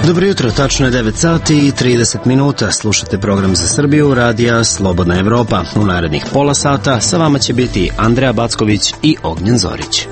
Dobro jutro, tačno je 9 sati i 30 minuta. Slušate program za Srbiju, radija Slobodna Evropa. U narednih pola sata sa vama će biti Andreja Backović i Ognjen Zorić.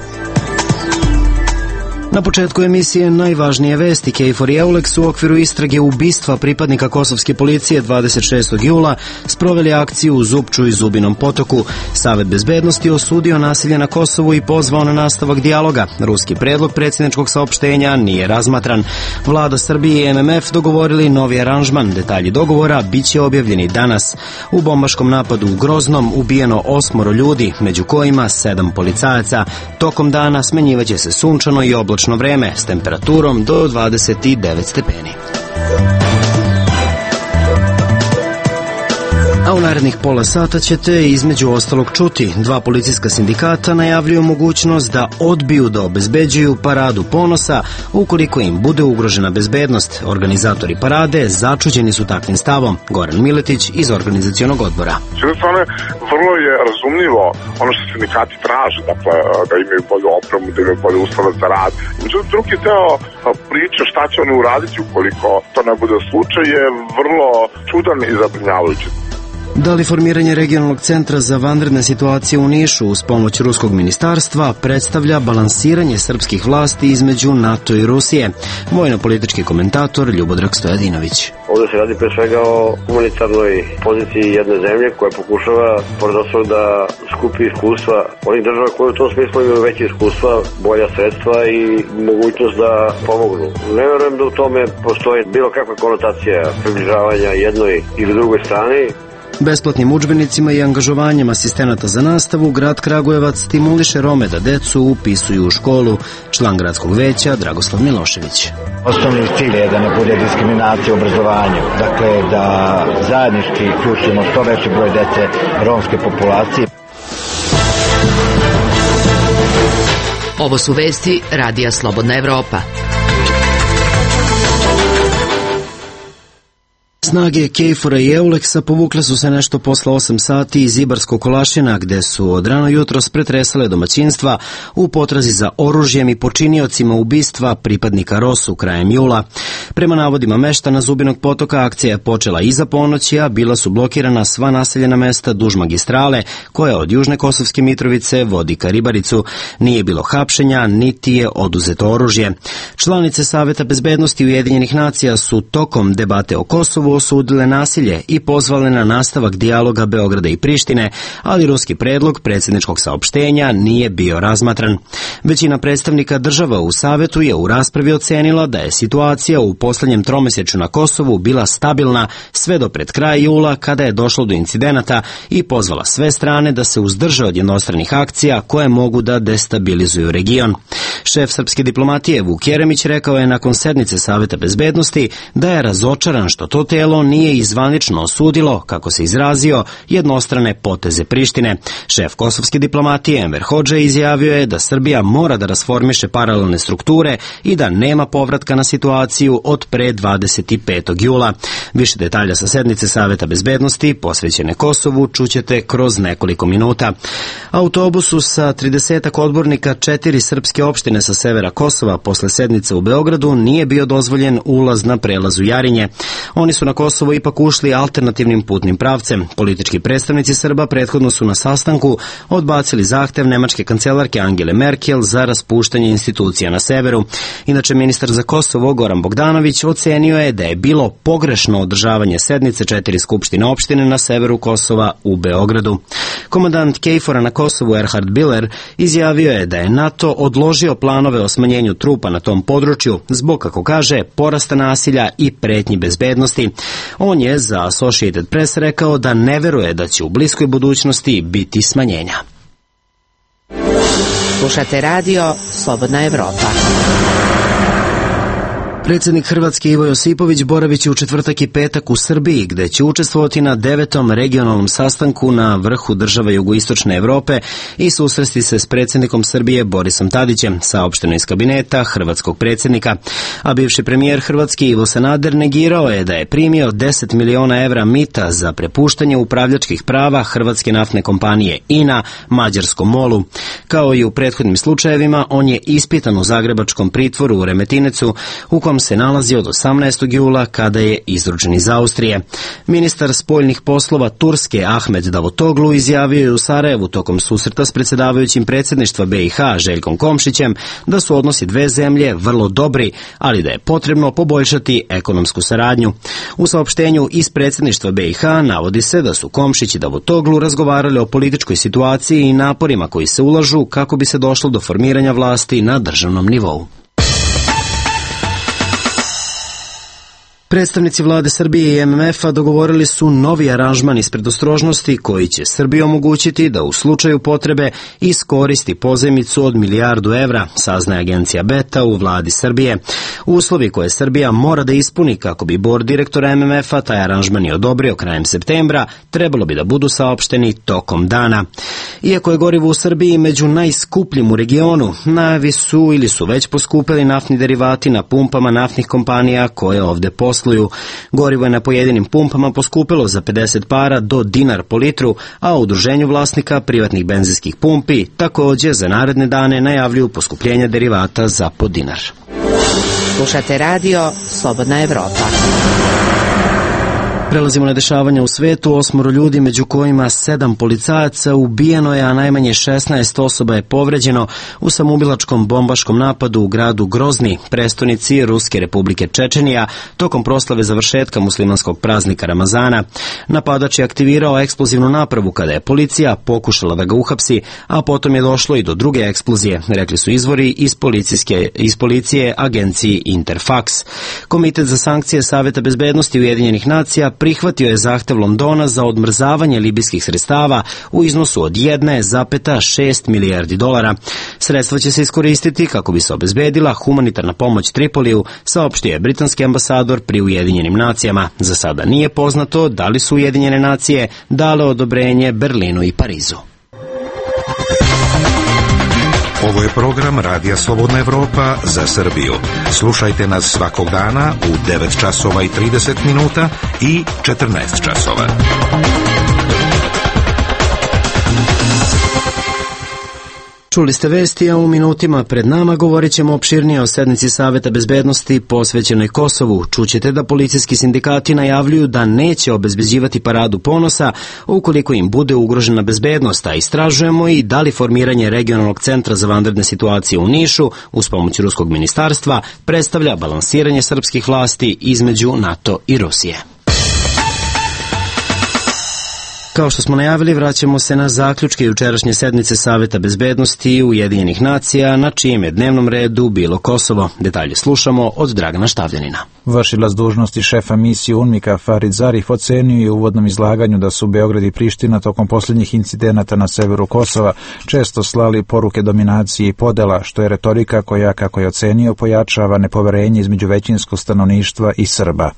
Na početku emisije najvažnije vesti. KFOR i EULEX u okviru istrage ubistva pripadnika kosovske policije 26. jula sproveli akciju u Zupču i Zubinom Potoku. Savet bezbednosti osudio nasilje na Kosovu i pozvao na nastavak dijaloga. Ruski predlog predsjedničkog saopštenja nije razmatran. Vlada Srbije i MMF dogovorili novi aranžman. Detalji dogovora biće objavljeni danas. U bombaškom napadu u Groznom ubijeno 8 ljudi, među kojima 7 policajaca. Tokom dana smenjivaće se sunčano i oblačno vreme s temperaturom do 29 stepeni. A u narednih pola sata ćete između ostalog čuti. 2 policijska sindikata najavljuju mogućnost da odbiju da obezbeđuju paradu ponosa ukoliko im bude ugrožena bezbednost. Organizatori parade začuđeni su takvim stavom. Goran Miletić iz organizacionog odbora. S jedne strane, vrlo je razumljivo ono što sindikati traže, dakle da imaju bolju opremu, da imaju bolje uslove za rad. Međutim, drugi deo priče šta će oni uraditi ukoliko to ne bude slučaj je vrlo čudan i zabrinjavajući. Da li formiranje regionalnog centra za vanredne situacije u Nišu uz pomoć ruskog ministarstva predstavlja balansiranje srpskih vlasti između NATO i Rusije? Vojno-politički komentator Ljubodrag Stojadinović. Ovdje se radi pre svega o humanitarnoj poziciji jedne zemlje koja pokušava, pored ostalog, da skupi iskustva onih država koje u tom smislu imaju veće iskustva, bolja sredstva i mogućnost da pomognu. Ne verujem da u tome postoji bilo kakva konotacija približavanja jednoj ili drugoj strani. Besplatnim udžbenicima i angažovanjem asistenata za nastavu, grad Kragujevac stimuliše Rome da decu upisuju u školu. Član gradskog veća Dragoslav Milošević. Osnovni cilj je da ne bude diskriminacije u obrazovanju. Dakle, da zajednički uključimo što veći broj dece romske populacije. Ovo su vesti radija Slobodna Evropa. Snage KFOR-a i EULEX-a povukle su se nešto posle 8 sati iz Ibarskog Kolašina, gde su od rano jutros pretresale domaćinstva u potrazi za oružjem i počiniocima ubistva pripadnika ROSU krajem jula. Prema navodima meštana Zubinog Potoka, akcija je počela iza ponoći, a bila su blokirana sva naseljena mesta duž magistrale, koja od Južne Kosovske Mitrovice vodi ka Ribaricu. Nije bilo hapšenja, niti je oduzeto oružje. Članice Saveta bezbednosti Ujedinjenih nacija su tokom debate o Kosovu osudile nasilje i pozvale na nastavak dijaloga Beograda i Prištine, ali ruski predlog predsjedničkog saopštenja nije bio razmatran. Većina predstavnika država u Savetu je u raspravi ocenila da je situacija u poslednjem tromesečju na Kosovu bila stabilna sve do pred kraj jula, kada je došlo do incidenata, i pozvala sve strane da se uzdrže od jednostranih akcija koje mogu da destabilizuju region. Šef srpske diplomatije Vuk Jeremić rekao je nakon sednice Saveta bezbednosti da je razočaran što to telo nije izvanično osudilo, kako se izrazio, jednostrane poteze Prištine. Šef kosovske diplomatije Enver Hodža izjavio je da Srbija mora da rasformiše paralelne strukture i da nema povratka na situaciju od pre 25. jula. Više detalja sa sednice Saveta bezbednosti posvećene Kosovu čućete kroz nekoliko minuta. Autobusu sa 30 odbornika 4 srpske opštine sa severa Kosova posle sednice u Beogradu nije bio dozvoljen ulaz na prelazu Jarinje. Oni su na Kosovo ipak ušli alternativnim putnim pravcem. Politički predstavnici Srba prethodno su na sastanku odbacili zahtev nemačke kancelarke Angele Merkel za raspuštanje institucija na severu. Inače, ministar za Kosovo Goran Bogdanović ocenio je da je bilo pogrešno održavanje sednice 4 skupštine opštine na severu Kosova u Beogradu. Komandant KFOR-a na Kosovu Erhard Biller izjavio je da je NATO odložio planove o smanjenju trupa na tom području zbog, kako kaže, porasta nasilja i pretnji bezbednosti. On je za Associated Press rekao da ne veruje da će u bliskoj budućnosti biti smanjenja. Slušate radio Slobodna Evropa. Predsjednik Hrvatske Ivo Josipović boravit će u četvrtak i petak u Srbiji, gde će učestvovati na 9. regionalnom sastanku na vrhu država jugoistočne Evrope i susresti se s predsjednikom Srbije Borisom Tadićem, saopšteno iz kabineta hrvatskog predsjednika. A bivši premijer Hrvatske Ivo Sanader negirao je da je primio 10 miliona evra mita za prepuštanje upravljačkih prava hrvatske naftne kompanije INA mađarskom MOL-u. Kao i u prethodnim slučajevima, on je ispitan u zagrebačkom pritvoru u Remetincu, u kom Kosovskom se nalazi od 18. jula kada je izručen iz Austrije. Ministar spoljnih poslova Turske Ahmet Davutoglu izjavio je u Sarajevu tokom susreta s predsjedavajućim predsjedništva BiH Željkom Komšićem da su odnosi dve zemlje vrlo dobri, ali da je potrebno poboljšati ekonomsku saradnju. U saopštenju iz predsjedništva BiH navodi se da su Komšić i Davutoglu razgovarali o političkoj situaciji i naporima koji se ulažu kako bi se došlo do formiranja vlasti na državnom nivou. Predstavnici vlade Srbije i MMF-a dogovorili su novi aranžman iz predostrožnosti koji će Srbiji omogućiti da u slučaju potrebe iskoristi pozajmicu od $1 milijardu, saznaje agencija Beta u vladi Srbije. Uslovi koje Srbija mora da ispuni kako bi bord direktora MMF-a taj aranžman i odobrio krajem septembra trebalo bi da budu saopšteni tokom dana. Iako je gorivo u Srbiji među najskupljim u regionu, najavi su ili su već poskupili naftni derivati na pumpama naftnih kompanija koje ovde posluju. Gorivo je na pojedinim pumpama poskupilo za 50 para do dinar po litru, a u udruženju vlasnika privatnih benzinskih pumpi također za naredne dane najavljuju poskupljenja derivata za po dinar. Slušate radio Slobodna Evropa. Prelazimo na dešavanja u svetu. 8 ljudi, među kojima 7 policajaca, ubijeno je, a najmanje 16 osoba je povređeno u samoubilačkom bombaškom napadu u gradu Grozni, prestonici Ruske Republike Čečenija, tokom proslave završetka muslimanskog praznika Ramazana. Napadač je aktivirao eksplozivnu napravu kada je policija pokušala da ga uhapsi, a potom je došlo i do druge eksplozije, rekli su izvori iz policije agenciji Interfax. Komitet za sankcije Saveta bezbednosti Ujedinjenih nacija prihvatio je zahtev Londona za odmrzavanje libijskih sredstava u iznosu od $1,6 milijardi. Sredstva će se iskoristiti kako bi se obezbedila humanitarna pomoć Tripoliju, saopštio je britanski ambasador pri Ujedinjenim nacijama. Za sada nije poznato da li su Ujedinjene nacije dale odobrenje Berlinu i Parizu. Ovo je program Radija Slobodna Evropa za Srbiju. Slušajte nas svakog dana u 9 časova i 30 minuta i 14 časova. Čuli ste vesti, a u minutima pred nama govorit ćemo opširnije o sednici Saveta bezbednosti posvećenoj Kosovu. Čućete da policijski sindikati najavljuju da neće obezbeđivati paradu ponosa ukoliko im bude ugrožena bezbednost, a istražujemo i da li formiranje regionalnog centra za vanredne situacije u Nišu uz pomoć ruskog ministarstva predstavlja balansiranje srpskih vlasti između NATO i Rusije. Kao što smo najavili, vraćamo se na zaključke jučerašnje sednice Saveta bezbednosti Ujedinjenih nacija, na čijem je dnevnom redu bilo Kosovo. Detalje slušamo od Dragana Štavljanina. Vršilac dužnosti šefa misije UNMIK-a Farid Zarif ocenio je u uvodnom izlaganju da su Beograd i Priština tokom posljednjih incidenata na severu Kosova često slali poruke dominacije i podela, što je retorika koja, kako je ocenio, pojačava nepoverenje između većinskog stanovništva i Srba.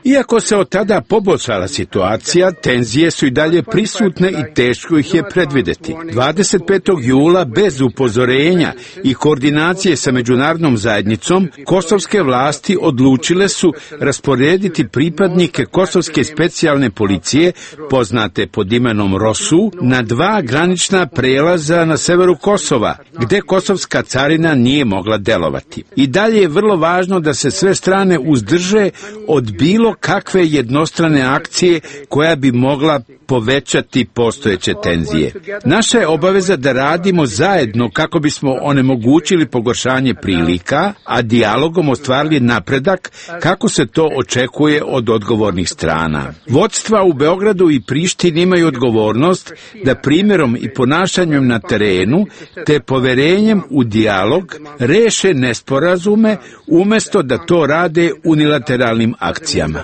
Iako se od tada poboljšala situacija, tenzije su i dalje prisutne i teško ih je predvideti. 25. jula bez upozorenja i koordinacije sa međunarodnom zajednicom, kosovske vlasti odlučile su rasporediti pripadnike kosovske specijalne policije, poznate pod imenom ROSU, na 2 granična prelaza na severu Kosova, gde kosovska carina nije mogla delovati. I dalje je vrlo važno da se sve strane uzdrže od bilo kakve jednostrane akcije koja bi mogla povećati postojeće tenzije. Naša je obaveza da radimo zajedno kako bismo onemogućili pogoršanje prilika, a dijalogom ostvarili napredak kako se to očekuje od odgovornih strana. Vodstva u Beogradu i Prištini imaju odgovornost da primjerom i ponašanjem na terenu te poverenjem u dijalog reše nesporazume umjesto da to rade unilateralnim akcijama.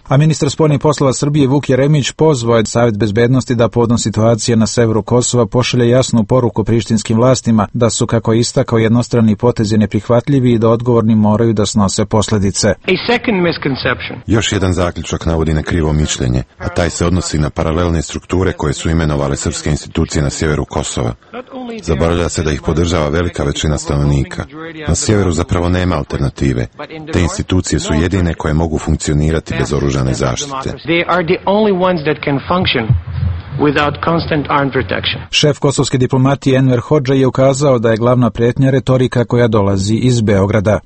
A ministar spoljnih poslova Srbije Vuk Jeremić pozvao je Savet bezbednosti da povodom situacije na severu Kosova pošalje jasnu poruku prištinskim vlastima da su, kako je istakao, jednostrani potezi neprihvatljivi i da odgovorni moraju da snose posljedice. Još jedan zaključak navodi na krivo mišljenje, a taj se odnosi na paralelne strukture koje su imenovale srpske institucije na sjeveru Kosova. Zaboravlja se da ih podržava velika većina stanovnika. Na sjeveru zapravo nema alternative. Te institucije su jedine koje mogu funkcionirati bez oružane zaštite. Šef kosovske diplomatije Enver Hodža je ukazao da je glavna pretnja retorika koja dolazi iz Beograda.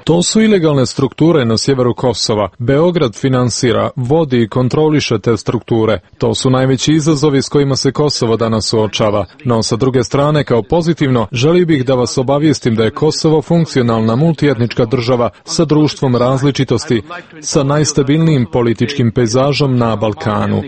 To su ilegalne strukture na sjeveru Kosova. Beograd finansira, vodi i kontroliše te strukture. To su najveći izazovi s kojima se Kosovo danas suočava. No, sa druge strane, kao pozitivno, želio bih da vas obavijestim da je Kosovo funkcionalna multietnička država sa društvom različitosti, sa najstabilnijim političkim pejzažom na Balkanu.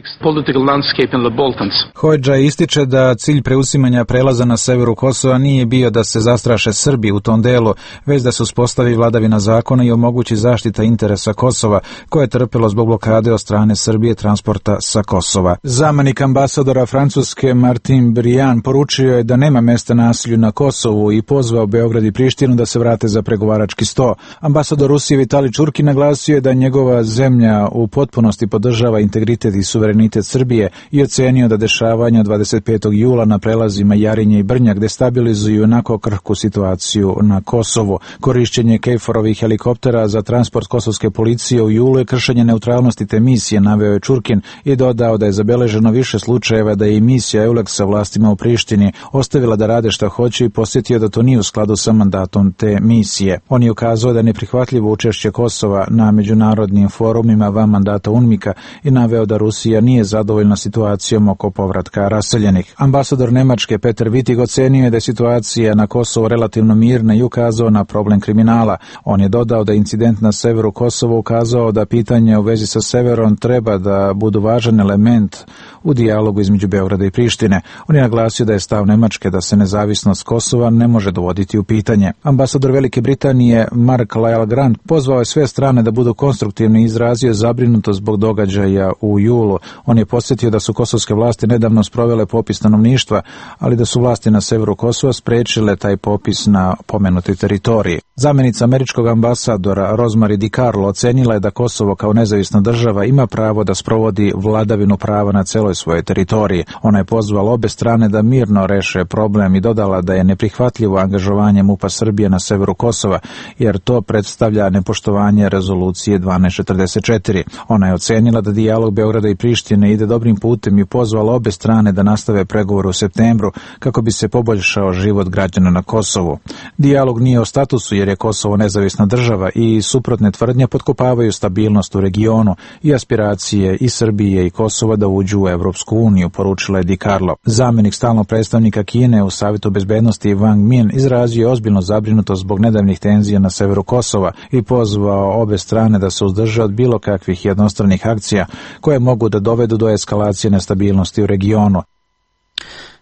Hodža ističe da cilj preuzimanja prelaza na severu Kosova nije bio da se zastraše Srbi u tom delu, već da se uspostavi vladavina zakona i omogući zaštita interesa Kosova, koje je trpelo zbog blokade od strane Srbije transporta sa Kosova. Zamenik ambasadora Francuske Martin Briand poručio je da nema mesta nasilju na Kosovu i pozvao Beograd i Prištinu da se vrate za pregovarački sto. Ambasador Rusije Vitali Čurki naglasio je da njegova zemlja u potpunosti podržava integritet i suverenitet Srbije i ocenio da dešavanja 25. jula na prelazima Jarinje i Brnjak destabilizuju onako krhku situaciju na Kosovu. Korišćenje KFOR-ovih helikoptera za transport kosovske policije u julu je kršenje neutralnosti te misije, naveo je Čurkin i dodao da je zabeleženo više slučajeva da je i misija EULEX-a vlastima u Prištini ostavila da rade šta hoće i posjetio da to nije u skladu sa mandatom te misije. On je ukazao da je neprihvatljivo učešće Kosova na međunarodnim forumima van mandata UNMIK-a i naveo da Rusija nije zadovoljna situacijom oko povratka raseljenih. Ambasador Nemačke Peter Wittig ocenio je da je situacija na Kosovu relativno mirna i ukazao na problem kriminala. On je dodao da incident na severu Kosova ukazao da pitanje u vezi sa severom treba da budu važan element u dijalogu između Beograda i Prištine. On je naglasio da je stav Nemačke da se nezavisnost Kosova ne može dovoditi u pitanje. Ambasador Velike Britanije Mark Lyle Grant pozvao je sve strane da budu konstruktivni i izrazio zabrinutost zbog događaja u julu. On je podsjetio da su kosovske vlasti nedavno sprovele popis stanovništva, ali da su vlasti na severu Kosova sprečile taj popis na pomenutoj teritoriji. Zamenica američkog ambasadora Rosemary DiCarlo ocenila je da Kosovo kao nezavisna država ima pravo da sprovodi vladavinu prava na celoj svojoj teritoriji. Ona je pozvala obe strane da mirno reše problem i dodala da je neprihvatljivo angažovanje MUP-a Srbije na severu Kosova, jer to predstavlja nepoštovanje rezolucije 1244. Ona je ocenila da dijalog Beograda i Prištine ide dobrim putem i pozvala obe strane da nastave pregovore u septembru kako bi se poboljšao život građana na Kosovu. Dijalog nije o statusu jer je Kosovo nezavisna država i suprotne tvrdnje potkopavaju stabilnost u regionu i aspiracije i Srbije i Kosova da uđu u Evropsku uniju, poručila je DiCarlo. Zamenik stalnog predstavnika Kine u Savetu bezbednosti Wang Min izrazio ozbiljno zabrinutost zbog nedavnih tenzija na severu Kosova i pozvao obe strane da se uzdrže od bilo kakvih jednostranih akcija koje mogu da dovedu do eskalacije nestabilnosti u regionu.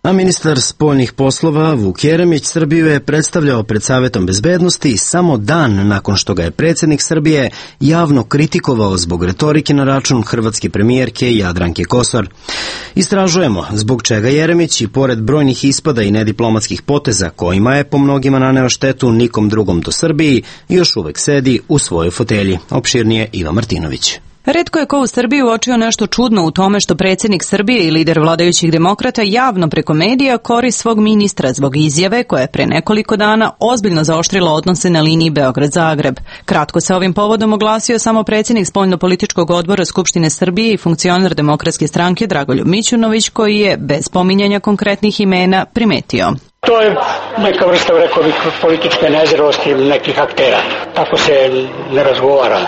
A ministar spoljnih poslova Vuk Jeremić Srbiju je predstavljao pred Savetom bezbednosti samo dan nakon što ga je predsjednik Srbije javno kritikovao zbog retorike na račun hrvatske premijerke Jadranke Kosor. Istražujemo zbog čega Jeremić i pored brojnih ispada i nediplomatskih poteza kojima je po mnogima naneo štetu nikom drugom do Srbiji još uvek sedi u svojoj fotelji. Opširnije Iva Martinović. Retko je ko u Srbiji uočio nešto čudno u tome što predsjednik Srbije i lider vladajućih demokrata javno preko medija kori svog ministra zbog izjave koja je pre nekoliko dana ozbiljno zaoštrila odnose na liniji Beograd-Zagreb. Kratko se ovim povodom oglasio samo predsjednik spoljno-političkog odbora Skupštine Srbije i funkcioner Demokratske stranke Dragoljub Mićunović, koji je, bez spominjanja konkretnih imena, primetio: to je neka vrsta, rekao bih, političke nezrelosti nekih aktera. Tako se ne razgovara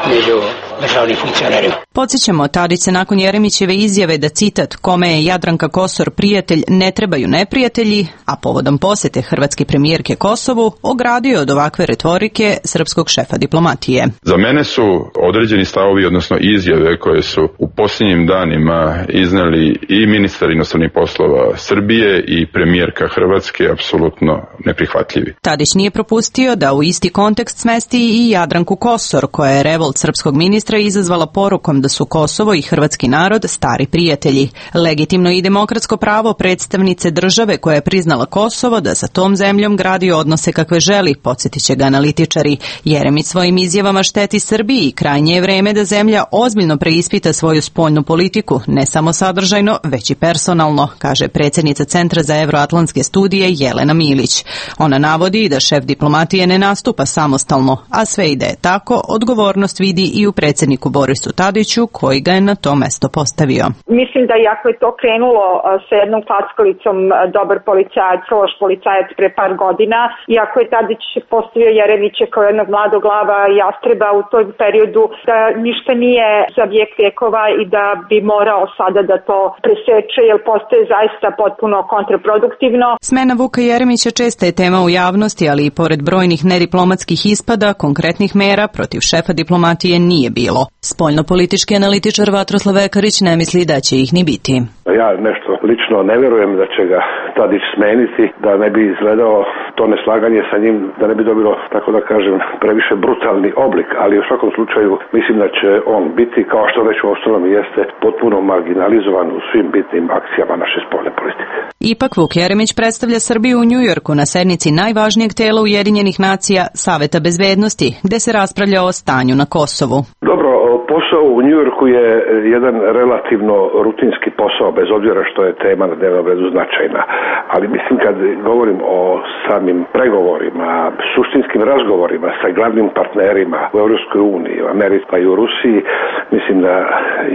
među državnim funkcionerima. Podsjećamo, Tadić se nakon Jeremićeve izjave da, citat, kome je Jadranka Kosor prijatelj, ne trebaju neprijatelji, a povodom posete hrvatske premijerke Kosovu, ogradio od ovakve retorike srpskog šefa diplomatije. Za mene su određeni stavovi, odnosno izjave koje su u posljednjim danima iznali i ministar inostranih poslova Srbije i premijerka Hrvatske apsolutno neprihvatljivi. Tadić nije propustio da u isti kontekst smesti i Jadranku Kosor, koja je revolt srpskog ministra izazvala porukom da su Kosovo i hrvatski narod stari prijatelji. Legitimno i demokratsko pravo predstavnice države koja je priznala Kosovo da sa tom zemljom gradi odnose kakve želi, podsjetit će ga analitičari. Jeremić svojim izjavama šteti Srbiji i krajnje je vreme da zemlja ozbiljno preispita svoju spoljnu politiku, ne samo sadržajno, već i personalno, kaže predsjednica Centra za evroatlantske studije Jelena Milić. Ona navodi da šef diplomatije ne nastupa samostalno, a sve ide tako, odgovornost vidi i u predsjednici predsjedniku Borisu Tadiću, koji ga je na to mesto postavio. Mislim da iako je to krenulo sa jednom klackalicom dobar policajac, loš policajac pre par godina, iako je Tadić postavio Jeremića kao jednog mladog glava i jastreba u tom periodu, da ništa nije za vijek vjekova i da bi morao sada da to preseče, jer postaje zaista potpuno kontraproduktivno. Smena Vuka Jeremića česta je tema u javnosti, ali i pored brojnih nediplomatskih ispada, konkretnih mera protiv šefa diplomatije nije bilo. Spoljnopolitički analitičar Vatroslav Ekarić ne misli da će ih ni biti. Ja nešto lično ne vjerujem da će ga Tadić smeniti, da ne bi izgledao to neslaganje sa njim, da ne bi dobilo, tako da kažem, previše brutalni oblik, ali u svakom slučaju mislim da će on biti, kao što već u ostalom jeste, potpuno marginalizovan u svim bitnim akcijama naše spoljne politike. Ipak Vuk Jeremić predstavlja Srbiju u Njujorku na sednici najvažnijeg tela Ujedinjenih nacija Saveta bezbednosti, gde se raspravlja o stanju na Kosovu. Dobro, posao u Njujorku je jedan relativno rutinski posao, bez obzira što je tema na dnevnom redu značajna. Ali mislim, kad govorim o samim pregovorima, suštinskim razgovorima sa glavnim partnerima u Europskoj uniji, u Americi pa i u Rusiji, mislim da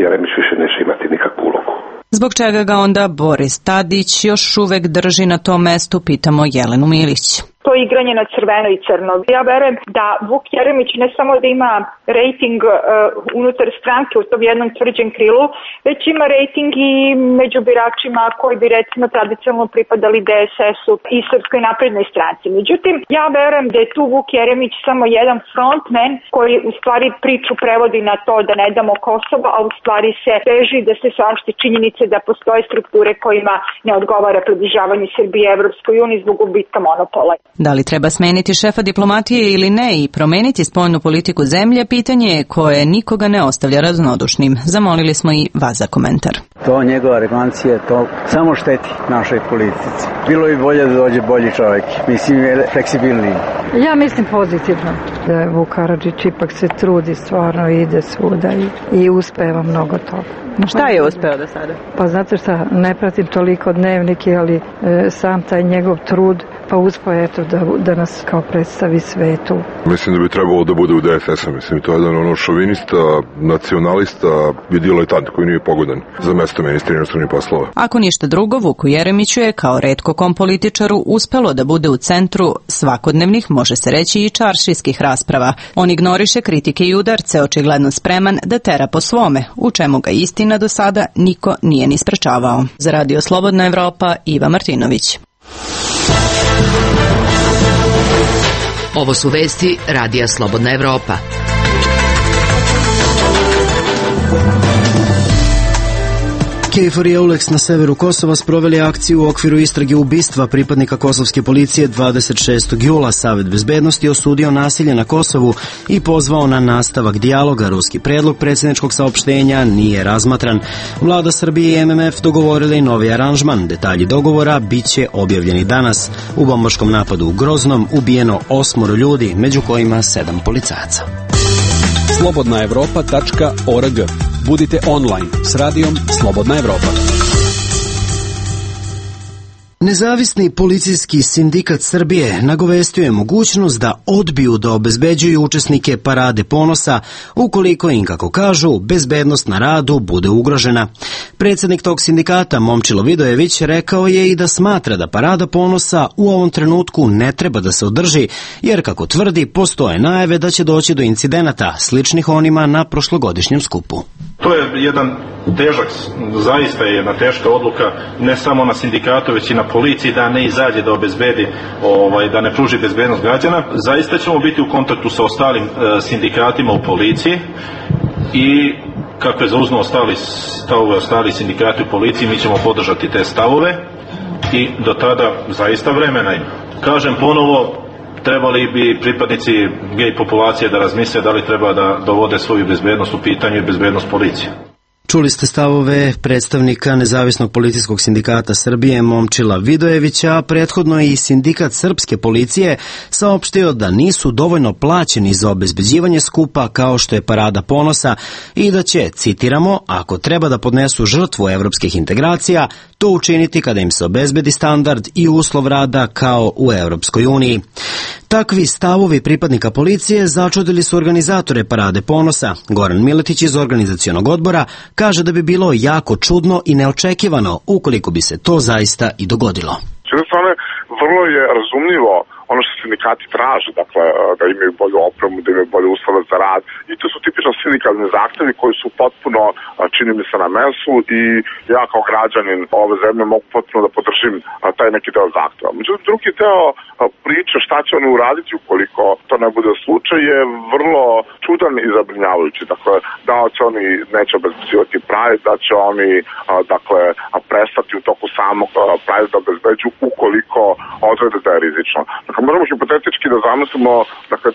Jeremić više neće imati nikakvu ulogu. Zbog čega ga onda Boris Tadić još uvek drži na tom mestu, pitamo Jelenu Milić. To igranje na crveno i crno. Ja verujem da Vuk Jeremić ne samo da ima rejting unutar stranke u tom jednom tvrđem krilu, već ima rejting i među biračima koji bi recimo tradicionalno pripadali DSS-u i Srpskoj naprednoj stranci. Međutim, ja verujem da je tu Vuk Jeremić samo jedan frontman koji u stvari priču prevodi na to da ne damo Kosovo, a u stvari se teži da se saopšti činjenice da postoje strukture kojima ne odgovara približavanje Srbije Evropskoj uniji zbog gubitka monopola. Da li treba smeniti šefa diplomatije ili ne i promeniti spoljnu politiku zemlje, pitanje je koje nikoga ne ostavlja raznodušnim. Zamolili smo i vas za komentar. To njegova arogancija, to samo šteti našoj politici. Bilo bi bolje da dođe bolji čovjek, mislim je fleksibilniji. Ja mislim pozitivno da Vuk Karadžić ipak se trudi, stvarno ide svuda i uspeva mnogo toga. Šta je uspeo do sada? Pa znate šta, ne pratim toliko dnevnike, ali sam taj njegov trud, pa uspeo eto da nas kao predstavi svetu. Mislim da bi trebalo da bude u DSS-u, mislim to je jedan šovinista, nacionalista i diletant koji nije pogodan za mesto ministra inostranih poslova. Ako ništa drugo, Vuku Jeremiću je kao retko kom političaru uspelo da bude u centru svakodnevnih, može se reći i čaršijskih rasprava. On ignoriše kritike i udarce, očigledno spreman da tera po svome, u čemu ga istina do sada niko nije ni sprečavao. Za Radio Slobodna Evropa, Iva Martinović. Ovo su vesti Radija Slobodna Evropa. KFOR i EULEX na severu Kosova sproveli akciju u okviru istrage ubistva pripadnika kosovske policije 26. jula. Savet bezbednosti osudio nasilje na Kosovu i pozvao na nastavak dijaloga. Ruski predlog predsjedničkog saopštenja nije razmatran. Vlada Srbije i MMF dogovorili novi aranžman. Detalji dogovora bit će objavljeni danas. U bombaškom napadu u Groznom ubijeno 8 ljudi, među kojima 7 policajaca. slobodnaevropa.org. Budite online s radijom Slobodna Evropa. Nezavisni policijski sindikat Srbije nagovestio je mogućnost da odbiju da obezbeđuju učesnike Parade ponosa ukoliko im, kako kažu, bezbednost na radu bude ugrožena. Predsjednik tog sindikata, Momčilo Vidojević, rekao je i da smatra da Parada ponosa u ovom trenutku ne treba da se održi, jer, kako tvrdi, postoje najave da će doći do incidenata sličnih onima na prošlogodišnjem skupu. To je jedan težak, zaista je jedna teška odluka, ne samo na sindikatu, već i na policiji da ne izađe da obezbedi, da ne pruži bezbednost građana. Zaista ćemo biti u kontaktu sa ostalim sindikatima u policiji i kako je zauzmao stavove ostali sindikati u policiji, mi ćemo podržati te stavove i do tada zaista vremena ima. Kažem ponovo, trebali bi pripadnici gej populacije da razmisle da li treba da dovode svoju bezbednost u pitanju i bezbednost policije. Čuli ste stavove predstavnika Nezavisnog policijskog sindikata Srbije Momčila Vidojevića, a prethodno i sindikat srpske policije saopštio da nisu dovoljno plaćeni za obezbeđivanje skupa kao što je Parada ponosa i da će, citiramo, ako treba da podnesu žrtvu evropskih integracija, to učiniti kada im se obezbedi standard i uslov rada kao u Evropskoj uniji. Takvi stavovi pripadnika policije začudili su organizatore Parade ponosa. Goran Miletić iz organizacionog odbora kaže da bi bilo jako čudno i neočekivano ukoliko bi se to zaista i dogodilo. S jedne strane, vrlo je razumljivo ono što sindikati traže, dakle, da imaju bolju opremu, da imaju bolje uslove za rad. I to su tipično sindikalni zahtevi koji su potpuno, čini mi se, na mesu i ja kao građanin ove zemlje mogu potpuno da podržim taj neki deo zahteva. Međutim, drugi deo priče šta će oni uraditi ukoliko to ne bude slučaj je vrlo čudan i zabrinjavajući. Dakle, da će oni neće obezbeđivati Pride, da će oni prestati u toku samog Pride da obezbeđuju ukoliko odrede da je rizično. Dakle, možemo hipotetički da zamislimo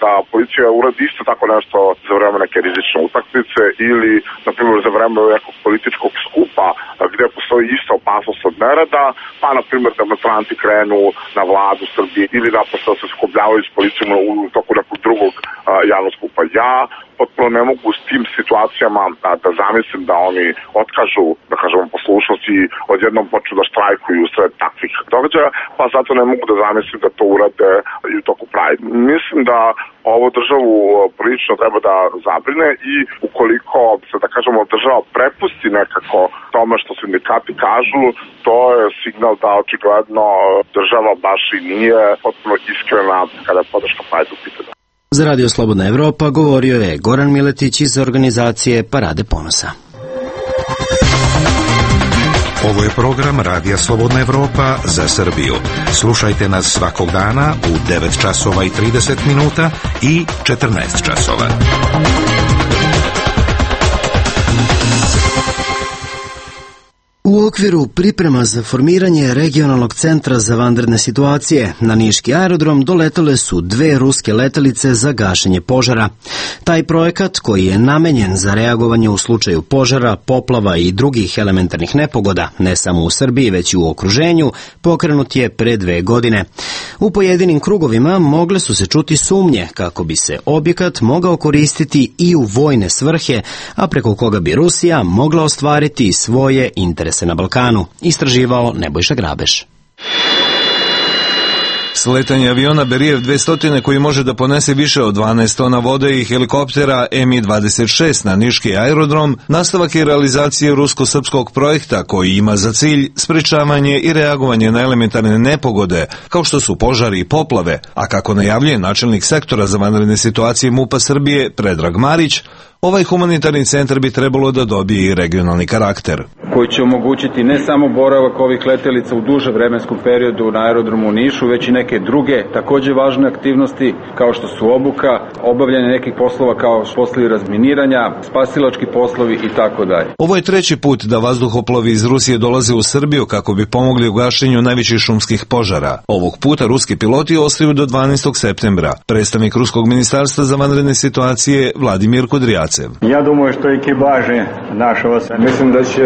da policija uradi isto tako nešto za vreme neke rizične utakmice ili, na primjer, za vreme nekog političkog skupa gde postoji ista opasnost od nereda, pa, na primjer, demonstranti krenu na vladu Srbije ili naprosto se sukobljavaju s policijom u toku nekog drugog javnog skupa. Ja potpuno ne mogu s tim situacijama da zamislim da oni otkažu, da kažemo, poslušnost i odjednom počnu da štrajkuju sred takvih događaja, pa zato ne mogu da zamislim da to urade i u toku Pride. Mislim da ovo državu prilično treba da zabrine i ukoliko se, da kažemo, država prepusti nekako tome što sindikati kažu, to je signal da očigledno država baš i nije potpuno iskrena kada je podrška Pride u pitanju. Za Radio Slobodna Evropa govorio je Goran Miletić iz organizacije Parade ponosa. Ovo je program Radija Slobodna Evropa za Srbiju. Slušajte nas svakog dana u 9 časova i 30 minuta i 14 časova. U okviru priprema za formiranje regionalnog centra za vanredne situacije na niški aerodrom doletele su 2 ruske letelice za gašenje požara. Taj projekat, koji je namenjen za reagovanje u slučaju požara, poplava i drugih elementarnih nepogoda, ne samo u Srbiji već i u okruženju, pokrenut je pre 2 godine. U pojedinim krugovima mogle su se čuti sumnje kako bi se objekat mogao koristiti i u vojne svrhe, a preko koga bi Rusija mogla ostvariti svoje interese na Balkanu, istraživao Nebojša Grabeš. Sletanje aviona Berijev 200 koji može da ponese više od 12 tona vode i helikoptera Mi-26 na niški aerodrom nastavak je realizacije rusko-srpskog projekta koji ima za cilj sprečavanje i reagovanje na elementarne nepogode kao što su požari i poplave, a kako najavljuje načelnik sektora za vanredne situacije MUP-a Srbije Predrag Marić, ovaj humanitarni centar bi trebalo da dobije i regionalni karakter. Koji će omogućiti ne samo boravak ovih letelica u duže vremenskom periodu na aerodromu u Nišu, već i neke druge takođe važne aktivnosti kao što su obuka, obavljanje nekih poslova kao poslovi razminiranja, spasilački poslovi i tako dalje. Ovo je 3. put da vazduhoplovi iz Rusije dolaze u Srbiju kako bi pomogli u gašenju najvećih šumskih požara. Ovog puta ruski piloti ostaju do 12. septembra. Predstavnik Ruskog ministarstva za vanredne situacije Vladimir Kudrijacev. Ja думаю, što ekipaže našava, mislim da će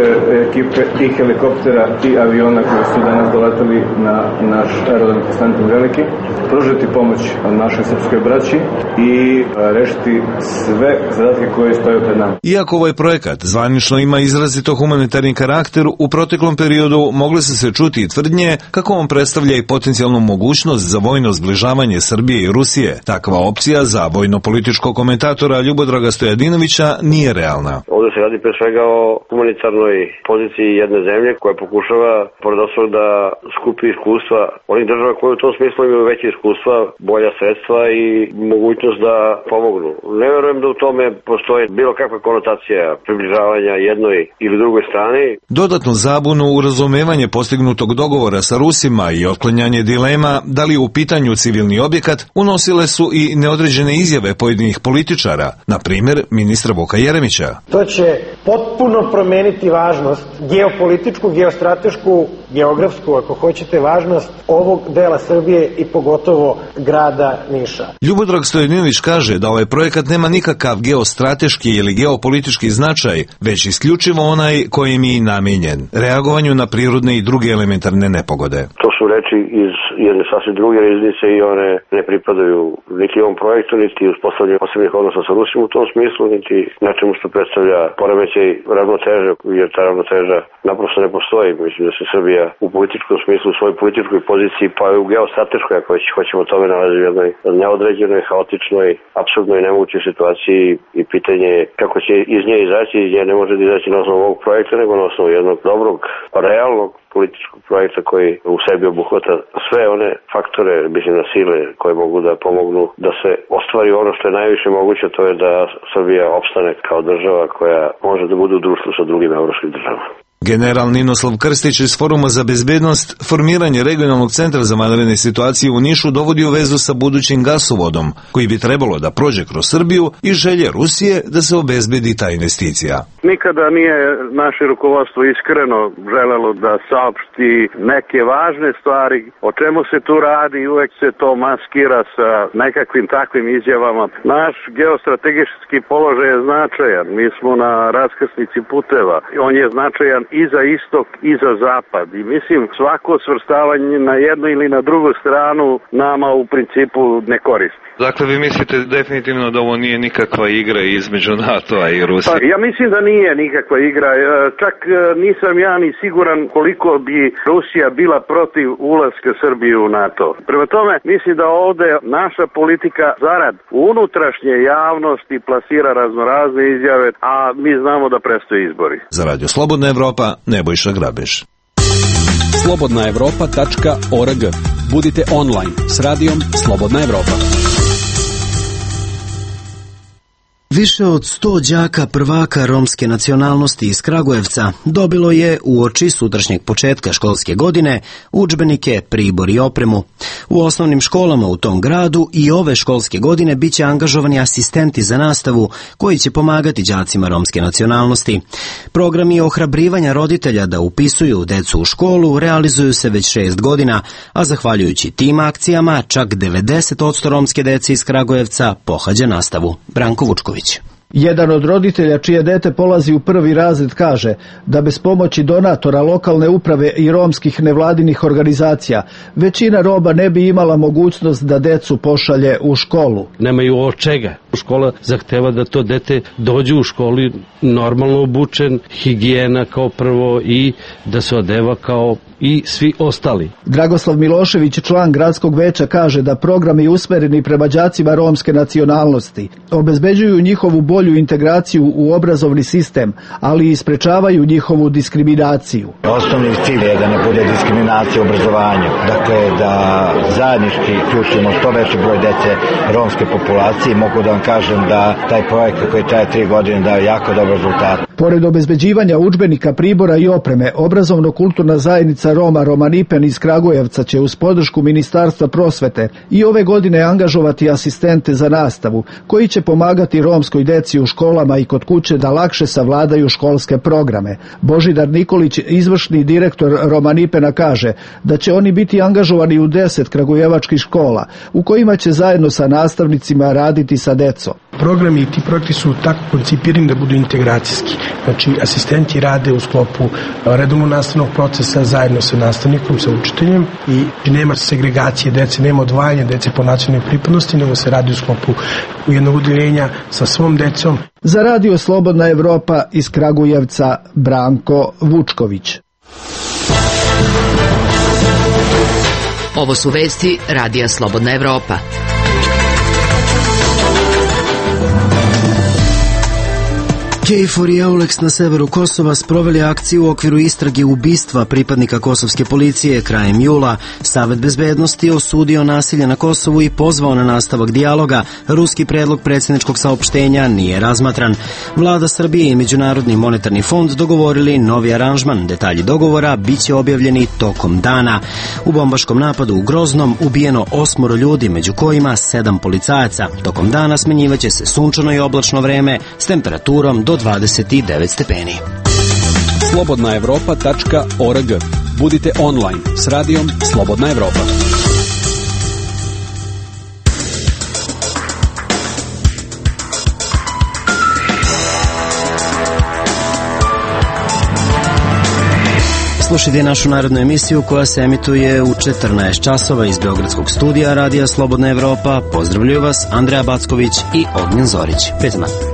ekipe i helikoptera i aviona koji su danas doletali na naš aerodrom Konstantin Veliki pružiti pomoć našoj srpskoj braći i rešiti sve zadatke koje stoje pred nama. Iako ovaj projekat zvanično ima izrazito humanitarni karakter, u proteklom periodu mogle su se čuti i tvrdnje kako on predstavlja i potencijalnu mogućnost za vojno zbližavanje Srbije i Rusije. Takva opcija za vojno-političkog komentatora Ljubodraga Stojadinovića nije realna. Ovde se radi pre svega o humanitarnoj poziciji jedne zemlje koja pokušava, pored ostalog, da skupi iskustva onih država koje u tom smislu imaju veće iskustva, bolja sredstva i mogućnost da pomognu. Ne verujem da u tome postoji bilo kakva konotacija približavanja jednoj ili drugoj strani. Dodatnu zabunu u razumevanje postignutog dogovora sa Rusima i otklanjanje dilema da li je u pitanju civilni objekat unosile su i neodređene izjave pojedinih političara, na primjer ministra Vuka Jeremića. To će potpuno promeniti važnost važnost geopolitičku, geostratešku, geografsku, ako hoćete, važnost ovog dela Srbije i pogotovo grada Niša. Ljubodrag Stojadinović kaže da ovaj projekat nema nikakav geostrateški ili geopolitički značaj, već isključivo onaj kojim je namijenjen, reagovanju na prirodne i druge elementarne nepogode. To su reči iz jedne sasvim druge riznice i one ne pripadaju niti ovom projektu, niti uspostavljanju posebnih odnosa sa Rusijom u tom smislu, niti nečemu što predstavlja poremećaj ravnoteže, jer ta ravnoteža naprosto ne postoji. Mislim da se Srbija u političkom smislu, u svojoj političkoj poziciji, pa i u geostrateškoj, ako hoćemo tome, nalazi u jednoj neodređenoj, haotičnoj, apsurdnoj i nemogućoj situaciji i pitanje je kako će iz nje izaći. Iz nje ne može da izaći na osnovu ovog projekta, nego na osnovu jednog dobrog, realnog političkog projekta koji u sebi obuhvata sve one faktore, mislim, na sile koje mogu da pomognu da se ostvari ono što je najviše moguće, to je da Srbija opstane kao država koja može da bude u društvu sa drugim evropskim državama. General Ninoslav Krstić iz Foruma za bezbednost formiranje regionalnog centra za vanredne situacije u Nišu dovodi u vezu sa budućim gasovodom, koji bi trebalo da prođe kroz Srbiju i želje Rusije da se obezbedi ta investicija. Nikada nije naše rukovodstvo iskreno želelo da saopšti neke važne stvari, o čemu se tu radi, i uvek se to maskira sa nekakvim takvim izjavama. Naš geostrategijski položaj je značajan, mi smo na raskrsnici puteva, on je značajan i za istok i za zapad i mislim svako svrstavanje na jednu ili na drugu stranu nama u principu ne koristi. Dakle, vi mislite definitivno da ovo nije nikakva igra između NATO-a i Rusije? Pa, ja mislim da nije nikakva igra. Čak nisam ja ni siguran koliko bi Rusija bila protiv ulaska Srbije u NATO. Prema tome, mislim da ovde naša politika zarad unutrašnje javnosti plasira raznorazne izjave, a mi znamo da predstoje izbori. Za Radio Slobodna Evropa, Nebojša Grabeš. slobodnaevropa.org. Budite online s radijom Slobodna Evropa. Više od 100 đaka prvaka romske nacionalnosti iz Kragujevca dobilo je uoči sutrašnjeg početka školske godine udžbenike, pribor i opremu. U osnovnim školama u tom gradu i ove školske godine biće angažovani asistenti za nastavu koji će pomagati đacima romske nacionalnosti. Programi ohrabrivanja roditelja da upisuju decu u školu realizuju se već 6 godina, a zahvaljujući tim akcijama čak 90% romske dece iz Kragujevca pohađa nastavu. Branko Vučković. Jedan od roditelja čije dete polazi u 1. razred kaže da bez pomoći donatora lokalne uprave i romskih nevladinih organizacija većina Roma ne bi imala mogućnost da decu pošalje u školu. Nemaju od čega. Škola zahteva da to dete dođe u školi normalno obučen, higijena kao prvo i da se odeva kao i svi ostali. Dragoslav Milošević, član gradskog veća, kaže da programi usmereni prema đacima romske nacionalnosti obezbeđuju njihovu bolju integraciju u obrazovni sistem, ali i sprečavaju njihovu diskriminaciju. Osnovni cilj je da ne bude diskriminacija u obrazovanju, dakle da zajednički uključimo što veći broj dece romske populacije. Mogu da vam kažem da taj projekat koji traje 3 godine daje jako dobar rezultat. Pored obezbeđivanja udžbenika, pribora i opreme, obrazovno-kulturna zajednica Roma Romanipen iz Kragujevca će uz podršku Ministarstva prosvete i ove godine angažovati asistente za nastavu, koji će pomagati romskoj deci u školama i kod kuće da lakše savladaju školske programe. Božidar Nikolić, izvršni direktor Romanipena, kaže da će oni biti angažovani u 10 kragujevačkih škola, u kojima će zajedno sa nastavnicima raditi sa decom. Programi i ti projekti su tako koncipirani da budu integracijski. Znači, asistenti rade u sklopu redovnog nastavnog procesa zajedno sa nastavnikom, sa učiteljem i nema segregacije dece, nema odvajanja dece po nacionalnoj pripadnosti, nego se radi u sklopu jednog udeljenja sa svom decom. Za Radio Slobodna Evropa iz Kragujevca, Branko Vučković. Ovo su vesti Radija Slobodna Evropa. KFOR i EULEX na severu Kosova sproveli akciju u okviru istrage ubistva pripadnika kosovske policije krajem jula. Savet bezbednosti osudio nasilje na Kosovu i pozvao na nastavak dijaloga. Ruski predlog predsjedničkog saopštenja nije razmatran. Vlada Srbije i Međunarodni monetarni fond dogovorili novi aranžman. Detalji dogovora biće objavljeni tokom dana. U bombaškom napadu u Groznom ubijeno 8 ljudi, među kojima 7 policajaca. Tokom dana smenjivaće se sunčano i oblačno vreme s temperaturom do 29 stepeni. slobodnaevropa.org. Budite online s radijom Slobodna Evropa. Slušajte našu narodnu emisiju koja se emituje u 14 časova iz Beogradskog studija Radija Slobodna Evropa. Pozdravljaju vas Andreja Backović i Ognjen Zorić. Prijatno.